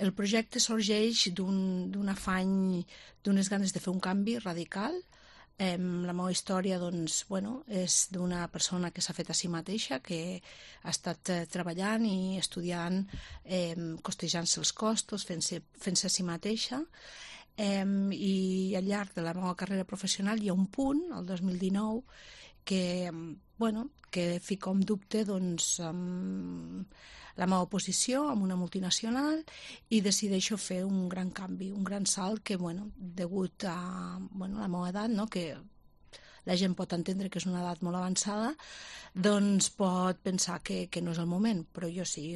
El projecte sorgeix d'un afany, d'unes ganes de fer un canvi radical. La meva història és d'una persona que s'ha fet a si mateixa, que ha estat treballant i estudiant, costejant-se els costos, fent-se a si mateixa, i al llarg de la meva carrera professional hi ha un punt, el 2019, que fica en dubte la meva posició amb una multinacional i decideixo fer un gran canvi, un gran salt que, degut a la meva edat, que la gent pot entendre que és una edat molt avançada, doncs pot pensar que no és el moment, però jo sí,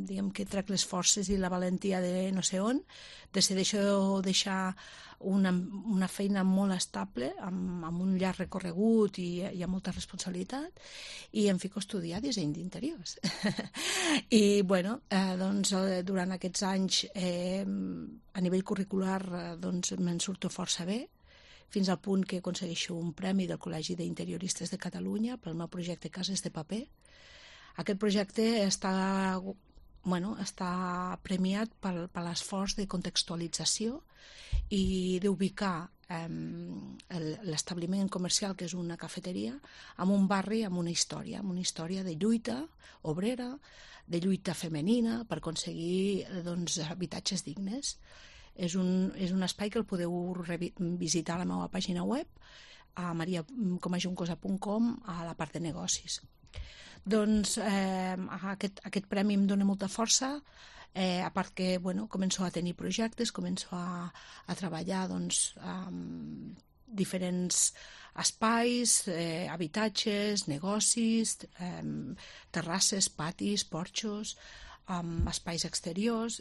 diguem que trec les forces i la valentia de no sé on, decideixo deixar una feina molt estable, amb un llarg recorregut i hi ha molta responsabilitat, i em fico a estudiar disseny d'interiors. I, durant aquests anys, a nivell curricular, me'n surto força bé, fins al punt que aconsegueixo un premi del Col·legi d'Interioristes de Catalunya pel meu projecte Cases de Paper. Aquest projecte està premiat per l'esforç de contextualització i d'ubicar l'establiment comercial, que és una cafeteria, en un barri amb una història de lluita obrera, de lluita femenina per aconseguir habitatges dignes. És un espai que el podeu visitar a la meva pàgina web, a mariacomajuncosa.com, a la part de negocis. Aquest premi em dona molta força, a part que començo a tenir projectes, començo a treballar amb diferents espais, habitatges, negocis, terrasses, patis, porxos, espais exteriors,